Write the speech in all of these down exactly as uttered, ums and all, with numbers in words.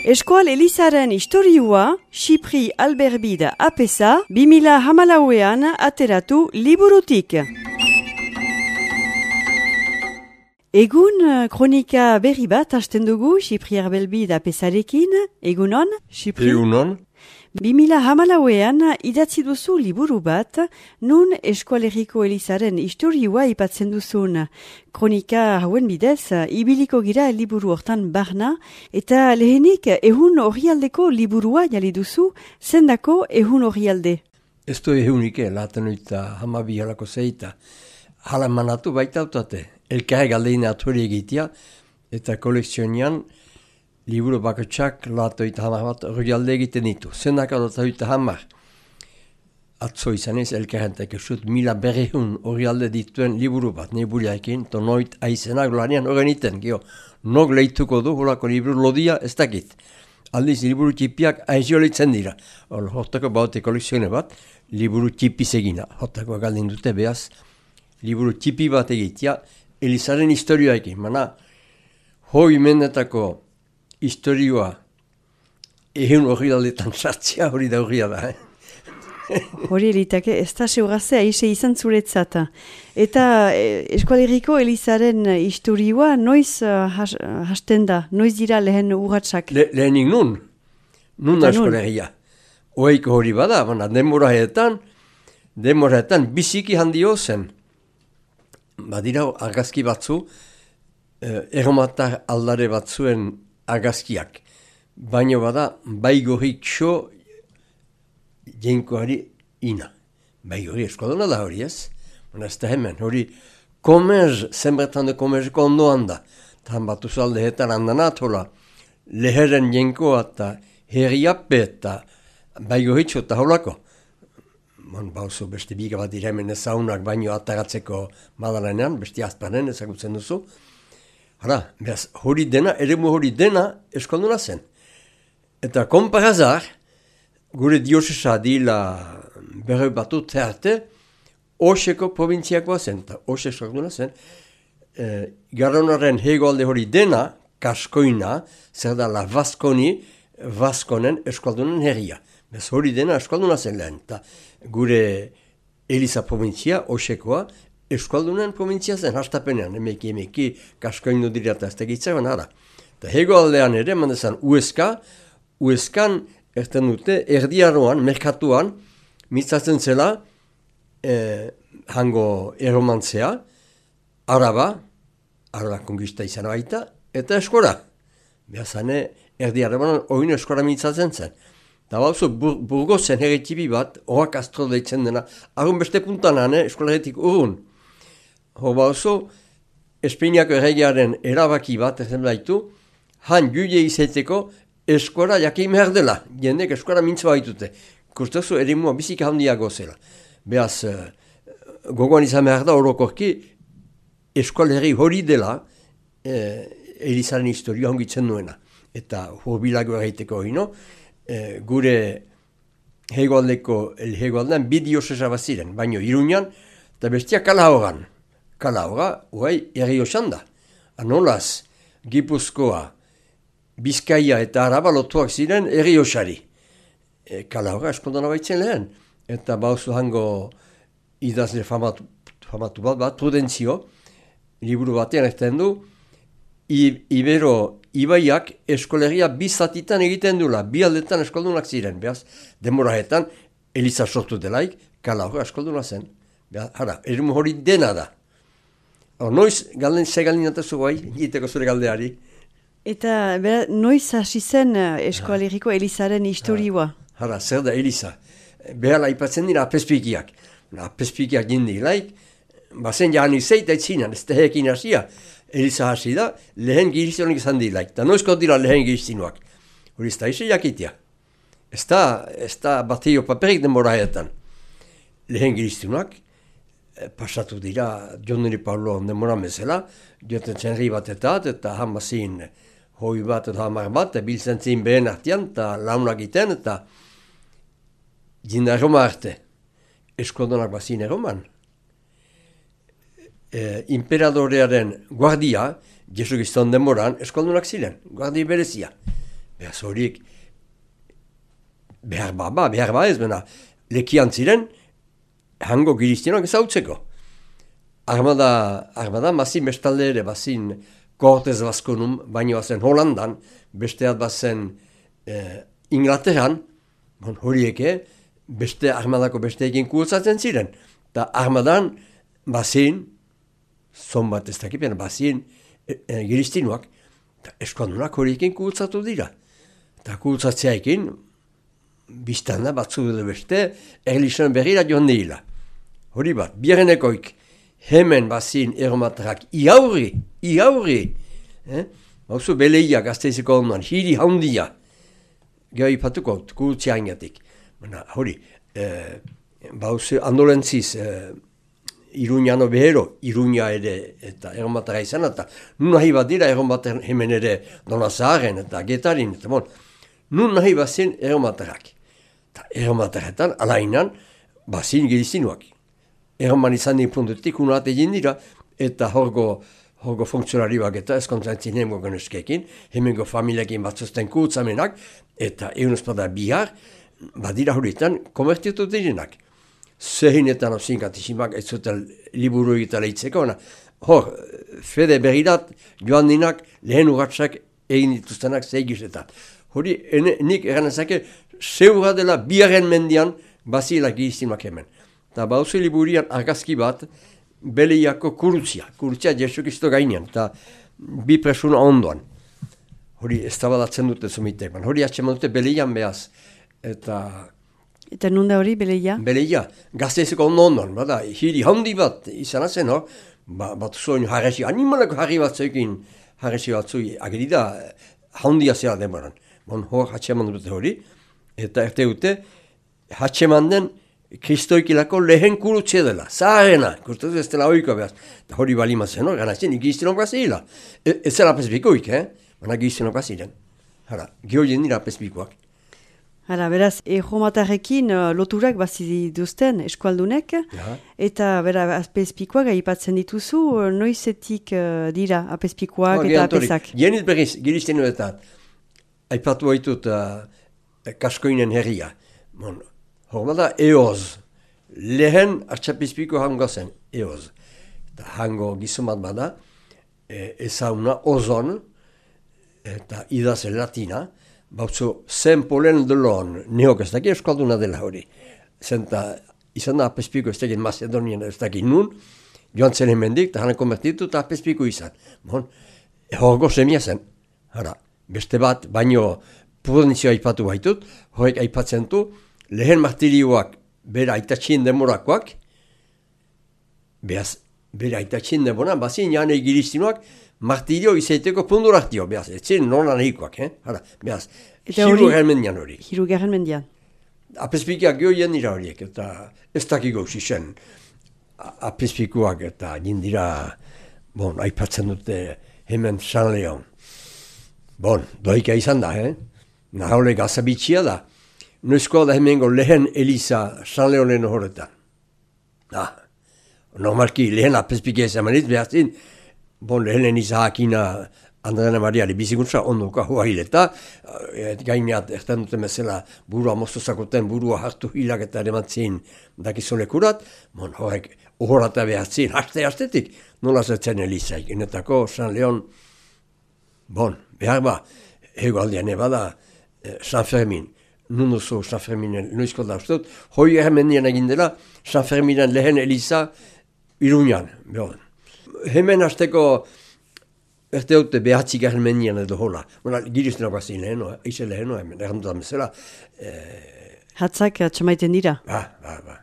Eskual Elizaren historiua, Xipri Alberbida apesa, bimila hamalauean ateratu liburutik. Egun kronika berri bat hasten dugu Xipri Alberbida apesarekin, egunon? Xipri? Egunon? Bimila hamalauean idatzi duzu liburu bat, nun Eskualeriko Elizaren historiua ipatzen duzun. Kronika hauen bidez, ibiliko gira liburu hortan barna, eta lehenik ehun orrialdeko liburua jali duzu, zendako ehun orrialde. Ez du ehunike, laten oita hamabi halako zeita. Hala manatu baita autate, elkarre galdeine aturi egitea, eta kolekzionian liburu bakotxak latoita hamar bat orrialde egiten ditu. Zendaka latoita hamar. Atzo izan ez, elkarrentek esut mila berrehun orrialde dituen liburu bat, neburiaekin, to noit aizenak lanean horren iten, gio, nog lehituko du, holako liburu lodia ez dakit. Aldiz, liburu txipiak aiziolitzen dira. Hor, hortako baute kolekzione bat, liburu txipiz egina. Hortako galdin dute behaz, liburu txipi bat egitea, Elizaren historioekin. Mana, hoi mendetako historioa ehun orrialdetan sartzea hori da horria da. Eh? Hori elitake, ez da seurazea ise izan zuretzat. Eta eh, Eskualeriko Elizaren historioa noiz uh, has, hasten da, noiz dira lehen urratsak? Le, lehenik nun, nun da Eskualeria. Oeiko hori bada, baina denboraetan, denboraetan biziki handio zen. Badira argazki batzu, eh, erromatar aldare batzuen argazkiak. Baina bada, baigorrik xo jenkoari ina. Baigorri eskodona da hori ez? Baina ez da hemen, hori komerz, zenbertan de komerzeko ondoan da. Tan batu zaldeetan handanat hola, leheren jenkoa eta herriappe eta baigorri xo eta holako. Bon, bauzu beste biga bat dira hemen ezaunak baino ataratzeko madalanean, beste azpanen ezagutzen duzu. Hala, behaz, hori dena, eremu hori dena eskalduna zen. Eta konparazar, gure diosesa dila berre batu tearte, Oseko provintziakoa zen, eta Ose eskalduna zen, e, Garonaren hegoalde hori dena, kaskoina, zer da la Vaskoni, Vaskonen eskaldunen herria. Bez hori dena eskalduna zen lehen, eta gure Eliza provintzia, Osekoa, eskaldunen provintzia zen, hastapenean, emeki, emeki, kaskoinu dira eta ez tegitzaren, ara. Eta hegoaldean ere, mandezan, Ueska, Ueskan, erten dute, erdiaroan, merkatuan, mitzatzen zela, eh, hango erromantzea, araba, araba kongista izan baita, eta eskora. Behazane, erdiaroan, oin eskora mitzatzen zen. Eta bauzu, bur, burgozen herritibi bat, oak astro deitzen dena, arun beste puntanan, eh, eskolaretik urun. Hor bauzu, Espainiako erregearen erabaki bat, ezen baitu, han juile izaiteko eskora jakin behar dela, jendek eskora mintza baitute. Kustazu erimua bizik handiago zela. Beaz, gogoan izan behar da orokorki, eskoleri hori dela, eh, Elizaren historia hongitzen nuena. Eta hurbilago erraiteko hino, E, gure hegoaldeko, hegoaldean bidiosesa baziren, baino Iruñan, eta bestia Kalahoran. Kalahora, uai, erri osan da. Anolaz, Gipuzkoa, Bizkaia eta Araba lotuak ziren erri osari. E, Kalahora eskondona baitzen lehen. Eta bauzu hango idazle famatu, famatu bat bat, Prudentzio, liburu batean ezten du, I, Ibero Ibaiak eskolegia bi zatitan egiten dula, bi aldetan eskoldunak ziren, behaz, demoraetan, Eliza sortu delaik, Kalahora eskolduna zen. Behaz, hara, erimu hori dena da. Hor, noiz, galden, ze galdin atazu bai, egiteko zure galdeari. Eta, bera, noiz hasi zen Eskualeriko Elizaren historioa? Hara, zer da Eliza. Behala ipatzen dira apezpikiak. Apezpikiak jindi laik, bazen jahan izeit aitzinan, ez da hekin hasia. Eliza hasi da, lehen girizionik izan dilaik. Eta noizko dira lehen girizionuak. Hori ez da iso jakitea. Ez da, ez da bateio paperik denboraetan. Lehen girizionuak, eh, pasatu dira, Joneri Paulo denbora mezela, joten zenri batetat, eta hamazin hoi bat eta hamar bat, biltzen zin behen artean, eta launak iten, eta jinda erroma arte. Eskoldonak bazin erroman. Eh, imperadorearen guardia, Jesu Kriston denboran, eskoldunak ziren, guardi berezia. behaz horiek, behar ba, ba, behar ba ez, bena, lekian ziren, hango giriztienoak ezautzeko. Armada, armada, bazin bestalde ere, bazin Cortez Baskonum, baino bazen Holandan, besteat bazen eh, Inglaterran, bon, horieke, beste armadako besteekin kurtzatzen ziren. Eta armadan, bazin, zon bat ez dakipen, bazin e, e, giriztinuak, eta eskualdunak horiekin kurtzatu dira. Eta kurtzatzeaekin, biztanda batzu dut beste, erlixen berrira joan dira. Hori bat, biarenekoik, hemen bazin eromatarrak iaurri, iaurri, eh? Bauzu beleia gazteizeko ondoan, hiri haundia, geho ipatuko, kurtzea ingatik. Hori, eh, bauzu andolentziz, eh, Iruñano behero, Iruña ere eta eromatara izan, eta nun nahi bat dira eromatar hemen ere Donazaren eta Getarin, eta bon, nun nahi bazin eromatarak. Eta eromataretan, alainan, bazin girizinuak. Eroman izan din puntutik unat egin dira, eta horgo, horgo funksionari bak eta eskontzantzin hemengo geneskekin, hemengo familiakin batzuzten kurtzamenak, eta eunuzpada bihar, badira horietan, konvertitu direnak. Zehinetan ozinkatisimak ez zuten liburu egita lehitzeko, hor, fede berrirat joan dinak lehen urratsak egin dituztenak zeigizetan. Hori, ene, nik eranezake, zeura dela biaren mendian bazila giriztimak hemen. Eta bauzu liburian argazki bat, beleiako kurutzia, kurutzia Jesukisto gainean, eta bi presuna ondoan. Hori, ez tabadatzen dute zumitek, hori atxeman dute beleian behaz, eta... Eta nunda hori, Beleia? Beleia, gazteizeko ondo ondoan, bada, hiri handi bat izan azen, hor, ba, bat zoin harresi, animaleko harri bat zeukin harresi bat zui, agerida handia zela demoran. Bon, hor, hatxeman dute hori, eta erte dute, hatxeman den kristoikilako lehen kurutze dela, zaharena, kurtatu ez dela oiko behaz. Eta hori bali mazen, hor, ganatzen, ikizten okazila. E, ez zela pespikoik, eh? Baina gizten okazilen. Hara, gehoien dira pespikoak. Hala, beraz, erromatarrekin uh, loturak bazi duzten eskualdunek, ja. Eta bera, apezpikoak aipatzen dituzu, uh, noizetik uh, dira apezpikoak no, eta apezak? Jenit berriz, girizten duetan, aipatu baitut uh, kaskoinen herria. Bon, hormada eoz, lehen artxapezpiko hango zen, eoz. Eta hango gizumat bada, e, ezauna ozon, eta idaz latina, bautzu, zen polen delon, neok ez daki eskalduna dela hori. Zenta, izan da apezpiko ez dakit Macedonian ez dakit nun, joan zen hemendik, eta hana konvertitu eta apezpiko izan. Bon, horgo semia zen. Hara, beste bat, baino prudentzioa aipatu baitut, horrek aipatzen du, lehen martirioak bera aitatxin demorakoak, behaz, bera aitatxin demora, bazin janei giriztinuak, martirio izaiteko punduraktio, behaz, etzien nolan egikoak, eh? Hara, behaz, hiru garen mendian hori. Hiru garen mendian. Apezpikiak gehien dira horiek, eta ez dakiko zisen apezpikuak eta jindira, bon, aipatzen dute hemen San Leon. Bon, doika izan da, eh? Nahaule gazabitxia da. Noizkoa da hemengo lehen Eliza San Leonen horretan. Ah, normalki lehen apezpikia izan maniz, behazin, bon, lehenen izahakina Andrena Mariari bizikuntza ondoka hoa hileta, et gaineat erten duten bezala burua moztozakoten burua hartu hilak eta erematzin dakizolekurat, bon, horrek ohorata behatzin, haste-hastetik, nola zertzen Elizaik, enetako San Leon, bon, behar ba, ego aldean ebada San Fermin, nun oso San Ferminen noizko da ustut, hoi ermendian egin dela, San Ferminen lehen Eliza Iruñan, behar. Hemen hasteko erte dute behatzi garen mendian edo hola. Bona, girizten okazin leheno, eize leheno, hemen, errandutan bezala. Eh... Hatzak atxamaiten dira? Ba, ba, ba.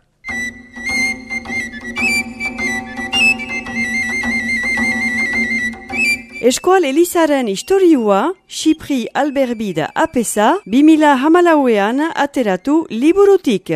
Eskual Elizaren historiua, Xipri Alberbida apesa, bi mila hamalauean ateratu liburutik.